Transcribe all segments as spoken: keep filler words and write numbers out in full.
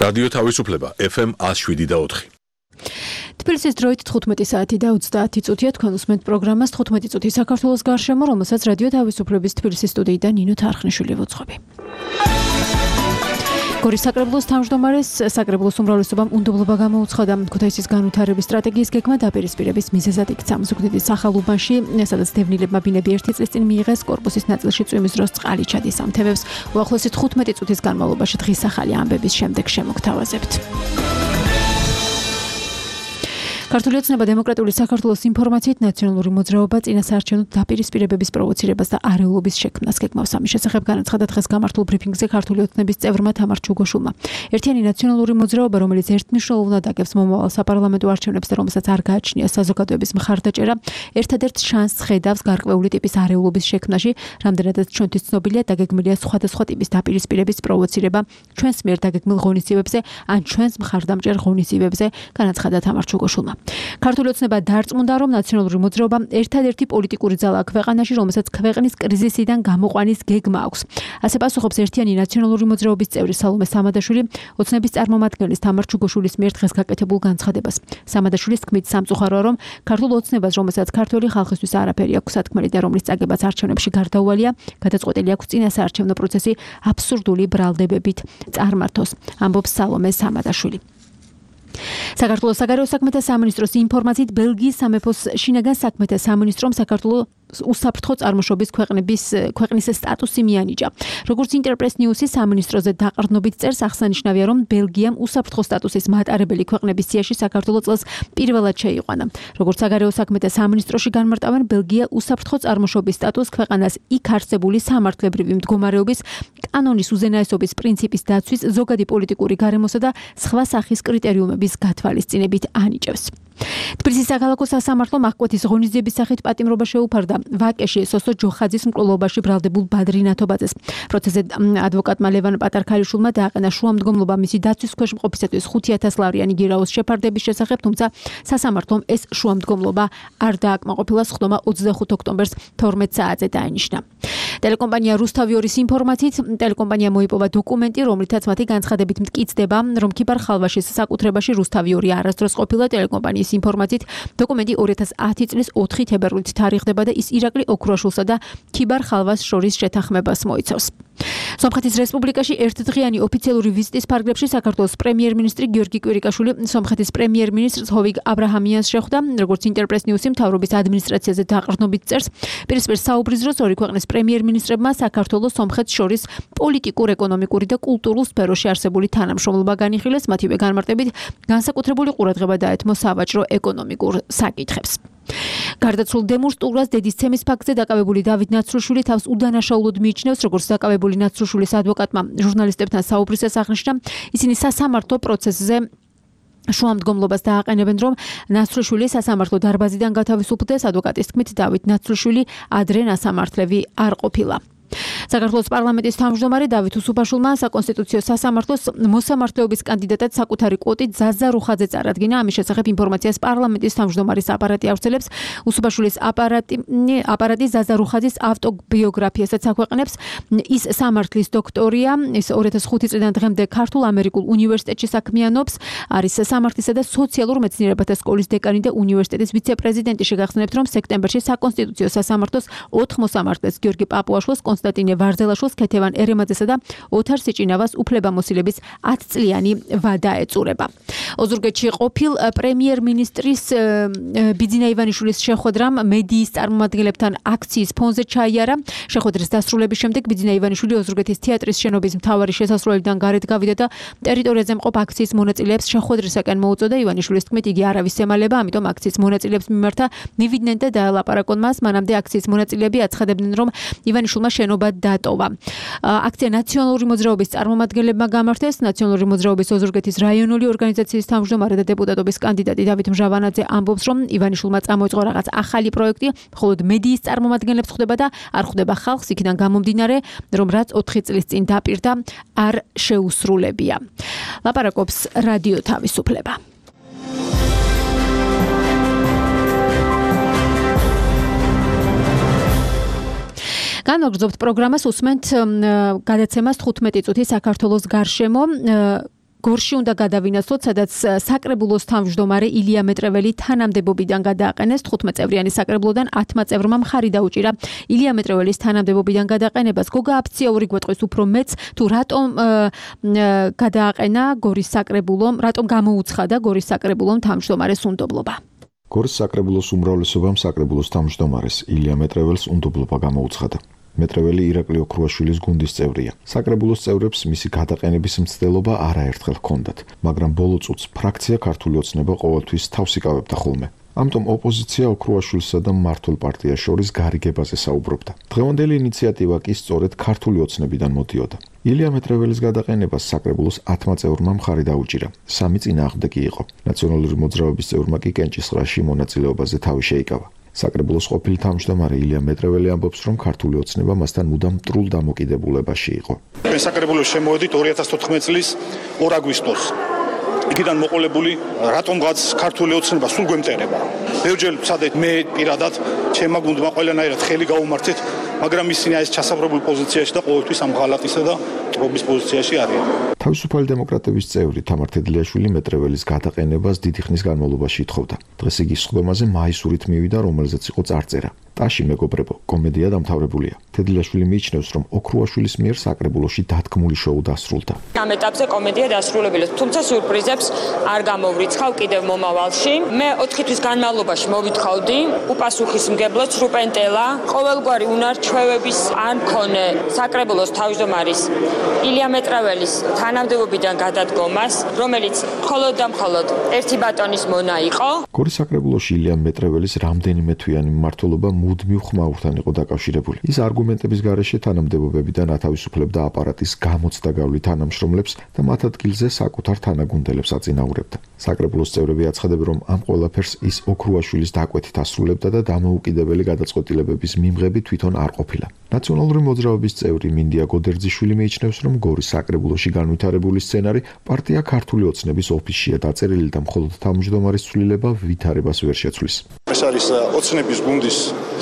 რადიო თავისუფლება ეფ ემ one oh seven და four. თბილისის დროით თხუთმეტი საათი და ოცდაათი წუთია თქვენ უსმენთ პროგრამას თხუთმეტი წუთი საქართველოს გარშემო, რომელსაც რადიო თავისუფლების თბილისის სტუდიიდან ნინო თარხნიშვილი ვუძღვები. გორის საკრებულოს თავმჯდომარეს საკრებულოს უმრავლესობამ უნდობლობა გამოუცხადა ქუთაისის განვითარების სტრატეგიის გეგმა დაპირისპირების მიზეზად იქცა ზუგდიდის სახალუბანში, სადაც დევნილებმა ბინები ერთი წლის წინ მიიღეს კორპუსის ნაწილში წვიმის დროს წყალი ჩადის ამ თემებს. უახლოესი თხუთმეტი წუთის განმავლობაში დღის ახალი ამბების შემდეგ შემოგთავაზებთ. ქართული ოცნება დემოკრატიული საქართველოს ინფორმაციით ნაციონალური მოძრაობა წინასაარჩევნო დაპირისპირებების პროვოცირებას და არეულობის შექმნას გეგმავს. ამის შესახებ განაცხადა დღეს გამართულ ბრიფინგზე ქართული ოცნების წევრმა თამარ ჩუგოშულმა. ერთიანი ნაციონალური მოძრაობა, რომელიც ერთმნიშვნელოვნად აგებს მომავალ საპარლამენტო არჩევნებს და რომელსაც არ გააჩნია საზოგადოების მხარდაჭერა, ერთადერთ შანსს ხედავს გარკვეული ტიპის არეულობის შექმნაში, რამდენადაც ჩვენთვის ცნობილია დაგეგმილია სხვადასხვა ტიპის დაპირისპირების პროვოცირება ჩვენს მიერ დაგეგმილ ღონისძიებებზე ან ჩვენს მხარდამჭერ ღონისძიებებზე, განაცხადა თამარ ჩუგოშულმა. ქართული ოცნება დარწმუნდა, რომ ნაციონალური მოძრაობა ერთადერთი პოლიტიკური ძალაა ქვეყანაში, რომელსაც ქვეყნის კრიზისიდან გამოყვანის გეგმა აქვს. ასე პასუხობს ერთიანი ნაციონალური მოძრაობის წევრი სალომე სამადაშვილი ოცნების წარმომადგენლის თამარ ჩუგოშულის მიერ დღეს გაკეთებულ განცხადებას. სამადაშვილის თქმით, სამწუხაროა, რომ ქართულ ოცნებას, რომელსაც ქართული ხალხისთვის არაფერი აქვს სათქმელი და რომლის წაგებაც არჩევნებში გარდაუვალია, გადაწყვეტილი აქვს წინასაარჩევნო პროცესი აბსურდული ბრალდებებით წარმართოს, ამბობს სალომე სამადაშვილი. საქართველოს საგარეო საქმეთა სამინისტროს ინფორმაციით ბელგიის სამეფოს შინაგან საქმეთა სამინისტრომ საქართველოს უსაფრთხო წარმოშობის ქვეყნების ქვეყნის სტატუსი მიანიჭა. როგორც ინტერპრეს ნიუსის სამინისტროზე დაყრდნობით წერს, აღსანიშნავია, რომ ბელგიამ უსაფრთხო სტატუსის მატარებელი ქვეყნების სიაში საქართველოს წელს პირველად შეიყვანა. როგორც საგარეო საქმეთა სამინისტროში განმარტავენ, ბელგია უსაფრთხო წარმოშობის სტატუსს ქვეყანას იქ არსებული სამართლებრივი მდგომარეობის, კანონის უზენაესობის პრინციპის დაცვის, ზოგადი პოლიტიკური გარემოსა და სხვა სახის კრიტერიუმების გათვალისწინებით ანიჭებს. თბილისის საქალაქო სასამართლომ აღკვეთის ღონისძიების სახით პატიმრობა შეუფარდა ვაკეში სოსო ჯოხაძის მკვლელობაში ბრალდებულ ბადრი ნათობაძეს. პროცესზე ადვოკატმა ლევან პატარქალიშვილმა დააყენა შუამდგომლობა მისი დაცვის ქვეშ მყოფისათვის ხუთი ათას ლარიანი გირაოს შეფარდების შესახებ, თუმცა სასამართლომ ეს შუამდგომლობა არ დააკმაყოფილა. სხდომა ოცდახუთ ოქტომბერს თორმეტ საათზე დაინიშნა. ტელეკომპანია რუსთავიორის ინფორმაციით, ტელეკომპანია მოიპოვა დოკუმენტი, რომლითაც მათი განცხადებით მტკიცდება, რომ ქიბარ ხალვაშის საკუთრებაში რუსთავიორი არასდროს ყოფილა. ტელეკომპანიის ინფორმაციით, დოკუმენტი ორი ათას ათი წლის ოთხი თებერვლით თარიღდება და ის ირაკლი ოქროაშვილსა და ქიბარ ხალვას შორის შეთანხმებას მოიცავს. სომხეთის რესპუბლიკაში ერთდღიანი ოფიციალური ვიზიტის ფარგლებში საქართველოს პრემიერ-მინისტრი გიორგი კვირიკაშვილი სომხეთის პრემიერ-მინისტრს ჰოვიგ აბრაჰამიანს შეხვდა. როგორც ინტერპრეს ნიუსი მთავრობის ადმინისტრაციაზე დაყრდნობით წერს, პირისპირ საუბრის დროს ორი ქვეყნის პრემიერ-მინისტრებმა საქართველოს სომხეთს შორის პოლიტიკურ, ეკონომიკური და კულტურულ სფეროში არსებული თანამშრომლობა განიხილეს, მათივე განმარტებით განსაკუთრებული ყურადღება დაეთმო სავაჭრო ეკონომიკურ საკითხებს. გარდაცვლილ დემურ სტურას დედისცემის ფაქტზე დაკავებული დავით ნაცრუშვილი თავს უდანაშაულოდ მიიჩნევს, როგორც დაკავებული ნაცრუშვილის ადვოკატმა ჟურნალისტებთან საუბრისას აღნიშნა, ისინი სასამართლო პროცესზე შუამდგომლობას დააყენებენ, რომ ნაცრუშვილი სასამართლო დარბაზიდან გათავისუფლდეს. ადვოკატის თქმით, დავით ნაცრუშვილი ადრე სასამართლევი არ ყოფილა. საქართველოს პარლამენტის თავმჯდომარე დავით უსუფაშვილმა საკონსტიტუციო სასამართლოს მოსამართლეობის კანდიდატად საკუთარი კვოტით ზაზა რუხაძე წარადგინა. ამის შესახებ ინფორმაციას პარლამენტის თავმჯდომარის აპარატი ავრცელებს. უსუფაშვილის აპარატი აპარატი ზაზა რუხაძის ავტობიოგრაფიასაც აქვეყნებს. ის სამართლის დოქტორია, ის ორი ათას ხუთი წლიდან დღემდე ქართულ ამერიკულ უნივერსიტეტში საქმიანობს, არის სამართლისა და სოციალურ მეცნიერებათა სკოლის დეკანი და უნივერსიტეტის ვიცე-პრეზიდენტი. შეგახსენებთ, რომ სექტემბერში საკონსტიტუციო სასამართლოს ოთხ მოსამართლეს გიორგი პაპუაშვილს, კონსტანტინე ვარძელაშვილს, ქეთევან ერემაძესა და ოთარ სიჭინავას უფლებამოსილების ათი წლიანი ვადა ეწურება. ოზურგეთში ყოფილ პრემიერ-მინისტრის ბიძინა ივანიშვილის შეხვედრამ მედიის წარმომადგენლებთან აქციის ფონზე ჩაიარა. შეხვედრის დასრულების შემდეგ ბიძინა ივანიშვილი ოზურგეთის თეატრის შენობის მთავარი შესასვლელიდან გარეთ გავიდა და ტერიტორიაზე მყოფ აქციის მონაწილეებს შეხვედრისაკენ მოუწოდა. ივანიშვილის თქმით, იგი არავის ემალება, ამიტომ აქციის მონაწილეებს მიმართა მივიდნენ და დაელაპარაკონ მას. მანამდე აქციის მონაწილეები აცხადებდნენ, რომ ივანიშვილმა შენობა დატოვა. აქცია ნაციონალური მოძრაობის წარმომადგენლებმა გამართეს. ნაციონალური მოძრაობის ოზურგეთის რაიონული ორგანიზაციის თავმჯდომარე და დეპუტატობის კანდიდატი დავით მჟავანაძე ამბობს, რომ ივანიშვილმა წამოიწყო რაღაც ახალი პროექტი, მხოლოდ მედიის წარმომადგენლებს ხვდება და არ ხვდება ხალხს, იქიდან გამომდინარე, რომ რაც ოთხი წლის წინ დაპირდა, არ შეუსრულებია. ლაპარაკობს რადიო თავისუფლება. განვაგრძობთ პროგრამას, უსმენთ გადაცემას თხუთმეტი წუთი საქართველოს გარშემო. გორში უნდა გადავინაცვლოთ, სადაც საკრებულოს თავმჯდომარე ილია მეტრეველი თანამდებობიდან გადააყენეს. თხუთმეტ წევრიანი საკრებულოდან ათმა წევრმა მხარი დაუჭირა ილია მეტრეველის თანამდებობიდან გადაყენებას. გოგა აფციური გვეტყვის უფრო მეც თუ რატომ გადააყენა გორის საკრებულომ, რატომ გამოუცხადა გორის საკრებულომ თავმჯდომარეს უნდობლობა. გორის საკრებულოს უმრავლესობამ საკრებულოს თავმჯდომარეს ილია მეტრეველს უნდობლობა გამოუცხადა. მეტრეველი ირაკლი ოქრუაშვილის გუნდის წევრია. საკრებულოს წევრებს მისი გადაყენების მცდელობა არაერთხელ ჰქონდათ, მაგრამ ბოლო წუთს ფრაქცია ქართული ოცნება ყოველთვის თავს იკავებდა ხოლმე. ამიტომ ოპოზიცია ოქრუაშვილსა და მმართველ პარტიას შორის გარიგებაზე საუბრობდა. დღევანდელი ინიციატივა კი სწორედ ქართული ოცნებიდან მოდიოდა. ილია მეტრეველის გადაყენებას საკრებულოს ათმა წევრმა მხარი დაუჭირა. სამი წინააღმდეგი იყო. ნაციონალური მოძრაობის წევრმა კი კენჭისყრაში მონაწილეობაზე თავი შეიკავა. საკრებულოს ყოფილი თავმჯდომარე ილია მეტრეველი ამბობს, რომ ქართული ოცნება მასთან მუდამ მტრულ დამოკიდებულებაში იყო. საკრებულოს შემოვედით ორი ათას თოთხმეტ წლის ორ აგვისტოს. იქიდან მოყოლებული რატომღაც ქართული ოცნება სულ გვემტერება. ბევრჯერ ვცადეთ მე პირადად ჩემმა გუნდმა ყველანაირად ხელი გაუმართეთ, მაგრამ ისინი ეს ჩასაბრებულ პოზიციაში და ყოველთვის ამ ღალატისა და ტრობის პოზიციაში არიან. თავისუფალი დემოკრატების წევრი თამარ თედლიაშვილი მეტრეველის გადაყენებას დიდი ხნის განმავლობაში ითხოვდა. დღეს იგი სხდომაზე მაისურით მივიდა, რომელზეც იყო წარწერა. ტაში მეგობრებო, კომედია დამთავრებულია. თედლიაშვილი მიიჩნევს, რომ ოქრუაშვილის მიერ საკრებულოში დადგმული შოუ დასრულდა. ამ ეტაპზე კომედია დასრულებულა, თუმცა სიურპრიზებს არ გამოვრიცხავ კიდევ მომავალში. მე ოთხი თვის განმავლობაში მოვითხოვდი უპასუხისმგებლო ცრუპენტელა, ყოველგვარი უნარჩვევების არ მქონე საკრებულოს თავმჯდომარის ილია მეტრეველის თანამდებობიდან გადადგომას, რომელიც მხოლოდ და მხოლოდ ერთი ბატონის მონა იყო. გორის საკრებულოში ილია მეტრეველის რამდენიმე თვიანი მმართველობა მუდმივ ხმაურთან იყო დაკავშირებული. ის არგუმენტების გარეშე თანამდებობებიდან ათავისუფლებდა აპარატის გამოცდა გავლით თანამშრომლებს და მათ ადგილზე საკუთარ თანაგუნდელებს აწინაურებდა. საკრებულოს წევრები აცხადებენ, რომ ამ ყველაფერს ის ოქრუაშვილის დაკვეთით ასრულებდა და დამოუკიდებელი გადაწყვეტილებების მიმღები თვითონ არ ყოფილა. ნაციონალური მოძრაობის წევრი მინდია გოდერძიშვილი მიიჩნევს, რომ გორის საკრებულოში განვითარებული სცენარი პარტია ქართული ოცნების ოფისშია დაწერილი და მხოლოდ თავმჯდომარის ცვლილება ვითარებას ვერ შეცვლის. ეს არის ოცნების გუნდის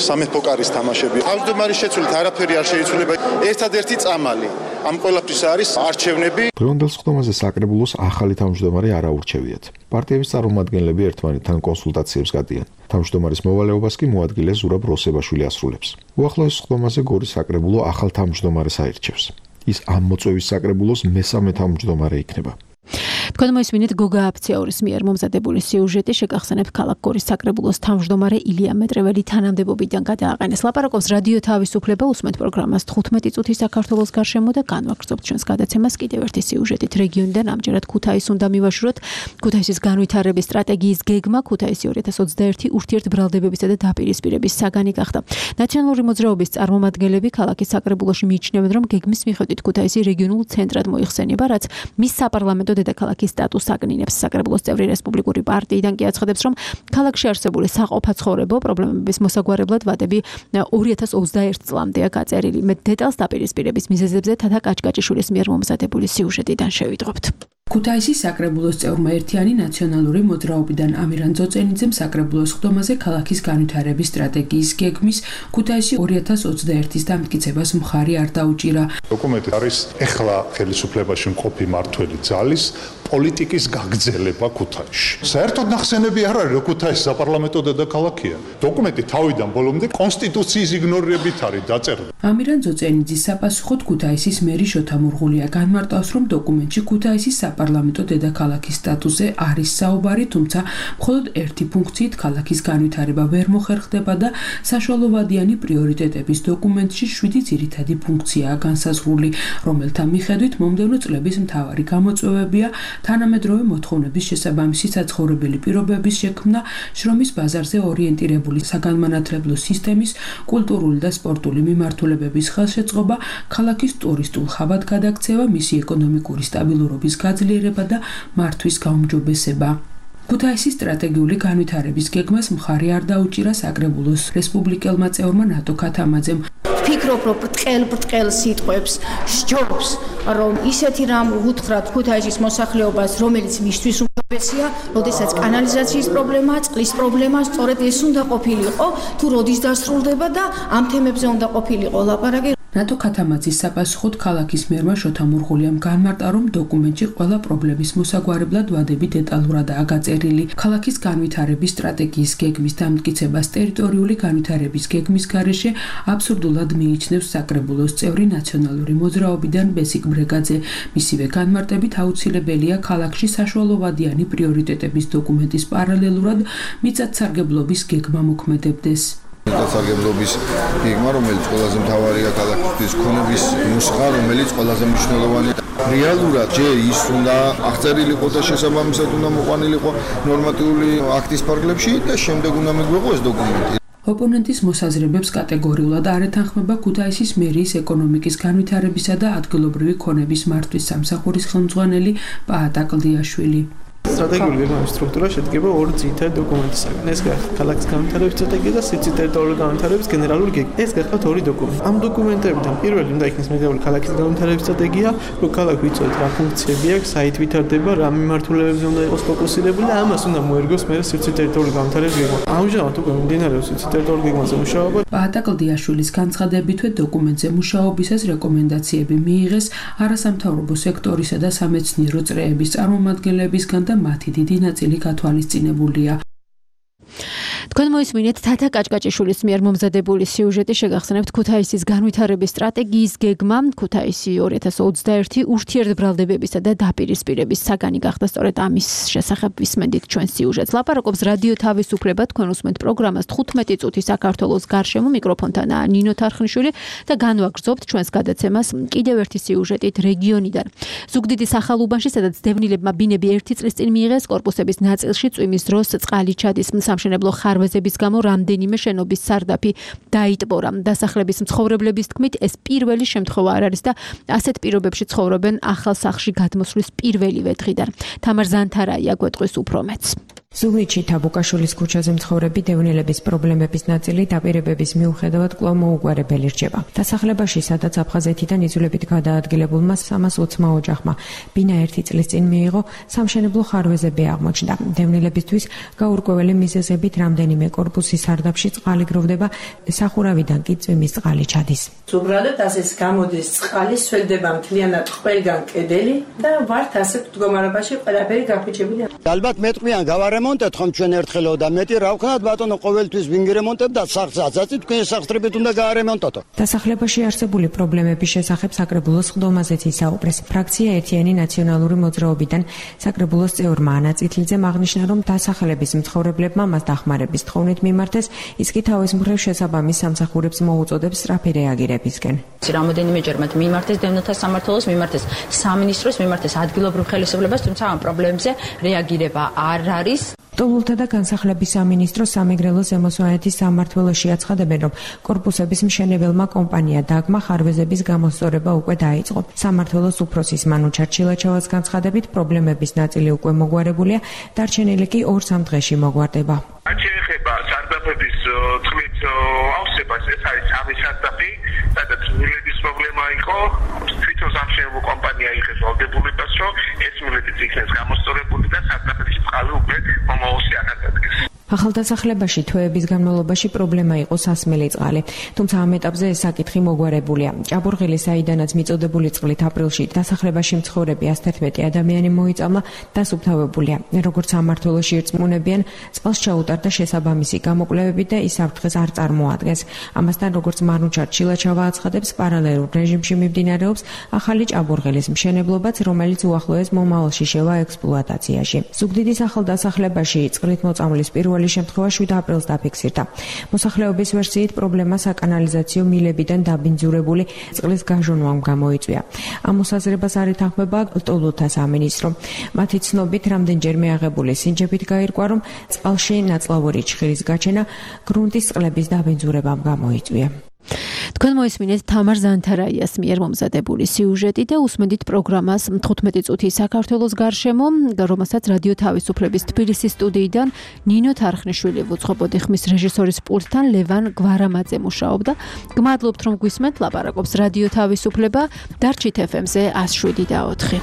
სამეფო კარის თამაშები. თავმჯდომარის შეცვლით არაფერი არ შეიცვლება. ერთადერთი წამალი ამ ყველაფრის არის არჩევნები. დღევანდელ სხდომაზე საკრებულოს ახალი თავმჯდომარე არ აურჩევიათ. პარტიების წარმომადგენლები ერთმანეთთან კონსულტაციებს გადიან. თავმჯდომარის მოვალეობას კი მოადგილე ზურაბ როსებაშვილი ასრულებს. უახლოეს სხდომაზე გორის საკრებულო ახალ თავმჯდომარეს აირჩევს. ის ამ მოწვევის საკრებულოს მესამე თავმჯდომარე იქნება. თქვენ მოისმინეთ გოგა აფციორის მიერ მომზადებული სიუჟეტი, შეგახსენებ ქალაქ გორის საკრებულოს თავმჯდომარე ილია მეტრეველი თანამდებობიდან გადააყენეს. ლაპარაკობს რადიო თავისუფლება, უსმენთ პროგრამას თხუთმეტი წუთი საქართველოს გარშემო და განვაგრძობთ ჩვენს გადაცემას კიდევ ერთი სიუჟეტით. რეგიონიდან ამჯერად ქუთაისს უნდა მივაშუროთ. ქუთაისის განვითარების სტრატეგიის გეგმა ქუთაისი ორი ათას ოცდაერთი ურთიერთბრალდებებისა და დაპირისპირების საგანი გახდა. ნაციონალური მოძრაობის წარმომადგენლები ქალაქის საკრებულოში მიიჩნევენ, რომ გეგმის მიხედვით ქუთაისი რეგიონულ ცენტრად მოიხსენება, რაც მის საპარლამენტო დედაქალაქის სტატუსს აგნინებს. საკრებულოს წევრი რესპუბლიკური პარტიიდან კი აცხადებს, რომ ქალაქში არსებული საყოფაცხოვრებო პრობლემების მოსაგვარებლად ვადები ორი ათას ოცდაერთ წლამდეა გაწერილი. მეტ დეტალს დაპირისპირების მიზეზებზე თათა კაჭკაჭიშვილის მიერ მომზადებული სიუჟეტიდან შევიდრობთ. ქუთაისის საკრებულოს წევრმა ერთიანი ნაციონალური მოძრაობიდან ამირან ძოწენიძემ საკრებულოს სხდომაზე ქალაქის განვითარების სტრატეგიის გეგმის ქუთაისი ორი ათას ოცდაერთის დამტკიცებას მხარი არ დაუჭირა. დოკუმენტი არის ეხლა ხელისუფლებაში მყოფი მმართველი ძალის პოლიტიკის გაგრძელება ქუთაისში. საერთოდ ნახსენები არ არის, რომ ქუთაისი საპარლამენტო დედაქალაქია. დოკუმენტი თავიდან ბოლომდე კონსტიტუციის იგნორირებით არის დაწერილი. ამირან ძოწენიძის საპასუხოდ ქუთაისის მერი შოთა მურღულია განმარტავს, რომ დოკუმენტში ქუთაისის საპარლამენტო დედაქალაქის სტატუსზე არის საუბარი, თუმცა მხოლოდ ერთი ფუნქციით ქალაქის განვითარება ვერ მოხერხდება და საშუალოვადიანი პრიორიტეტების დოკუმენტში შვიდი ძირითადი ფუნქციაა განსაზღვრული, რომელთა მიხედვით მომდევნო წლების მთავარი გამოწვევებია თანამედროვე მოთხოვნების შესაბამისი საცხოვრებელი პირობების შექმნა, შრომის ბაზარზე ორიენტირებული საგანმანათლებლო სისტემის, კულტურული და სპორტული მიმართულებების ხელშეწყობა, ქალაქის ტურისტულ ხაბად გადაქცევა, მისი ეკონომიკური სტაბილურობის გაძლიერება და მართვის გაუმჯობესება. ქუთაისის სტრატეგიული განვითარების გეგმას მხარი არ დაუჭირა საკრებულოს რესპუბლიკელმა წევრმა ნატო ქათამაძემ. ვფიქრობ, რომ ბრტყელ-ბრტყელ სიტყვებს სჯობს, რომ ისეთი რამ უთხრათ ქუთაისის მოსახლეობას, რომელიც მისთვის უმჯობესია, როდესაც კანალიზაციის პრობლემაა, წყლის პრობლემაა, სწორედ ეს უნდა ყოფილიყო, თუ როდის დასრულდება და ამ თემებზე უნდა ყოფილიყო ლაპარაკი. რატო ქათამაძის საპასუხოდ ქალაქის მერმა შოთა მურღულიამ განმარტა, რომ დოკუმენტში ყველა პრობლემის მოსაგვარებლად ვადები დეტალურადაა გაწერილი. ქალაქის განვითარების სტრატეგიის გეგმის დამტკიცებას ტერიტორიული განვითარების გეგმის გარეშე აბსურდულად მიიჩნევს საკრებულოს წევრი ნაციონალური მოძრაობიდან ბესიკ ბრეგაძე. მისივე განმარტებით აუცილებელია ქალაქში საშუალოვადიანი პრიორიტეტების დოკუმენტის პარალელურად მიწათსარგებლობის გეგმა მოქმედებდეს. მიწათსარგებლობის გეგმა, რომელიც ყველაზე მთავარია ქალაქისთვის, ქონების ნუსხა, რომელიც ყველაზე მნიშვნელოვანია. რეალურად ჯერ ის უნდა აღწერილიყო და შესაბამისად უნდა მოყვანილიყო ნორმატიული აქტის ფარგლებში და შემდეგ უნდა მიგვეღო ეს დოკუმენტი. ოპონენტის მოსაზრებებს კატეგორიულად არ ეთანხმება ქუთაისის მერიის ეკონომიკის განვითარებისა და ადგილობრივი ქონების მართვის სამსახურის ხელმძღვანელი პაატა კლდიაშვილი. სტრატეგიული გეგმების სტრუქტურა შედგება ორი ძირითადი დოკუმენტისაგან. ეს გახლავთ ქალაქის განვითარების სტრატეგია და სიცივ ტერიტორიული განვითარების გენერალური გეგმა. ეს გახლავთ ორი დოკუმენტი. ამ დოკუმენტებიდან პირველი უნდა იქნეს მიღებული ქალაქის განვითარების სტრატეგია, რომ ქალაქი ვიცოდეთ რა ფუნქციები აქვს, საით ვითარდება, რა მიმართულებებზე უნდა იყოს ფოკუსირებული და ამას უნდა მოერგოს მე სიცივ ტერიტორიული განვითარების გეგმა. ამჟამად უკვე მიმდინარეობს სიცივ ტერიტორიული გეგმაზე მუშაობა. პაატა კლდიაშვილის განცხადებითვე დოკუმენტზე მუშაობისას რეკომენდაციები მიიღეს არასამთავრობო სექტორისა და სამეცნიერო წრეების წარმომადგენლებისგან და მათი დიდი ნაწილი გათვალისწინებულია. თქვენ მოისმინეთ თათა კაჭკაჭიშვილის მიერ მომზადებული სიუჟეტი შეგახსენებთ ქუთაისის განვითარების სტრატეგიის გეგმა ქუთაისი ორი ათას ოცდაერთი ურთიერთბრალდებებისა და დაპირისპირების საგანი გახდა სწორედ ამის შესახებ ვისმენთ ჩვენ სიუჟეტს. ლაპარაკობს რადიო თავისუფლება, თქვენ უსმენთ პროგრამას თხუთმეტი წუთი საქართველოს გარშემო, მიკროფონთანაა ნინო თარხნიშვილი და განვაგრძობთ ჩვენს გადაცემას კიდევ ერთი სიუჟეტით რეგიონიდან. ზუგდიდის ახალუბანში, სადაც დევნილებმა ბინები ერთი წლის წინ მიიღეს კორპუსების ნაწილში წვიმის დროს წყალი ჩადის სამშენებლო ხარვეზების გამო რამდენიმე შენობის სარდაფი დაიტბორა. დასახლების მცხოვრებლების თქმით, ეს პირველი შემთხვევა არ არის და ასეთ პირობებში ცხოვრობენ ახალ სახლში გადმოსვლის პირველივე დღიდან. თამარ ზანთარაია გვეტყვის უფრო მეტს. ზუგდიდში თაბუკაშვილის ქუჩაზე მცხოვრები დევნილების პრობლემების ნაწილი დაპირებების მიუხედავად კვლავ მოუგვარებელი რჩება. დასახლებაში, სადაც აფხაზეთიდან იზოლებით გადაადგილებულმა სამას ოცმა ოჯახმა ბინა ერთი წლის წინ მიიღო, სამშენებლო ხარვეზები აღმოჩნდა. დევნილებისთვის გაურკვეველი მიზეზებით რამდენიმე კორპუსის სარდაფში წყალი გროვდება, სახურავიდან კი წვიმის წყალი ჩადის. უბრალოდ ასეც გამოდის წყალი, სველდება მთლიანად ყველგან კედელი და ვართ ასეთ მდგომარეობაში ყველაფერი გაფუჭებული. ალბათ მეტყვიან გავარემონტეთ ხომ ჩვენ ერთხელო და მეტი რა ვქნათ ბატონო ყოველთვის ვინგრემონტებ და სახს აწაწით თქვენ სახსრებით უნდა გაარემონტოთ. დასახლებაში არსებული პრობლემების შესახებ საკრებულოს ხდომაზეც ისაუბრეს. ფრაქცია ერთიანი ნაციონალური მოძრაობიდან საკრებულოს წევრმა ანა წითლიძემ აღნიშნა, რომ დასახლების მცხოვრებლებმა მას დახმარების თხოვნით მიმართეს, ის კი თავის მხრივ შესაბამის სამსახურებს მოუწოდებს სწრაფი რეაგირებისკენ. რამოდენიმეჯერ მათ მიმართეს დევნილთა სამმართველოს, მიმართეს სამინისტროს, მიმართეს ადგილობრივ ხელისუფლებას, თუმცა ამ პრობლემებზე რეაგირება არ არის. ტოლულთა და განსახლების სამინისტრო სამეგრელო ზემოსვანეთის სამმართველოში აცხადებენ, რომ კორპუსების მშენებელმა კომპანია დაგმა ხარვეზების გამოსწორება უკვე დაიწყო. სამმართველოს უფროსის მანუ ჩარჩილაჩავას განცხადებით, პრობლემების ნაწილი უკვე მოგვარებულია, დარჩენილი კი ორ-სამ დღეში მოგვარდება. რაც შეეხება სარდაფების წყლით ავსებას, ეს არის სამი სარდაფი, სადაც მილების პრობლემა იყო, თვითონ სამშენებლო კომპანია იღეს ვალდებულებას, რომ ეს მილები იქნეს გამოსწორებული და სარდაფების წყალი უკვე მომავალში აღადგეს. ახალდასახლებაში თვეების განმავლობაში პრობლემა იყო სასმელი წყალი, თუმცა ამ ეტაპზე ეს საკითხი მოგვარებულია. ჭაბურღილი, საიდანაც მიწოდებული წყლით აპრილში დასახლებაში მცხოვრები ასთერთმეტი ადამიანი მოიწამლა, დასუფთავებულია. როგორც სამმართველოში ირწმუნებიან, წყალს ჩაუტარდა შესაბამისი გამოკვლევები და ის საფრთხეს არ წარმოადგენს. ამასთან, როგორც მარნუჩარ ჩილაჩავა აცხადებს, პარალელურ რეჟიმში მიმდინარეობს ახალი ჭაბურღილის მშენებლობაც, რომელიც უახლოეს მომავალში შევა ექსპლუატაციაში. ზუგდიდის ახალდასახლებაში წყლით მოწამვლის პირველი შემთხვევა შვიდ აპრილს დაფიქსირდა. მოსახლეობის ვერსიით პრობლემა საკანალიზაციო მილებიდან დაბინძურებული წყლის გაჟონვამ გამოიწვია. ამ მოსაზრებას არ ეთანხმება ტოლულთა სამინისტრო. მათი ცნობით, რამდენჯერმე აღებული სინჯებით გაირკვა, რომ წყალში ნაწლავური ჩხირის გაჩენა გრუნტის წყლების დაბინძურებამ გამოიწვია. თქვენ მოისმინეთ თამარ ზანთარაიას მიერ მომზადებული სიუჟეტი და უსმენთ პროგრამას თხუთმეტი წუთი საქართველოს გარშემო, რომელსაც რადიო თავისუფლების თბილისის სტუდიიდან ნინო თარხნიშვილი უძღვებოდი, ხმის რეჟისორის პულტთან ლევან გვარამაძე მუშაობდა. გმადლობთ რომ გვისმენთ, ლაპარაკობს რადიო თავისუფლება, დარჩით ეფ ემ-ზე ას შვიდი და ოთხი.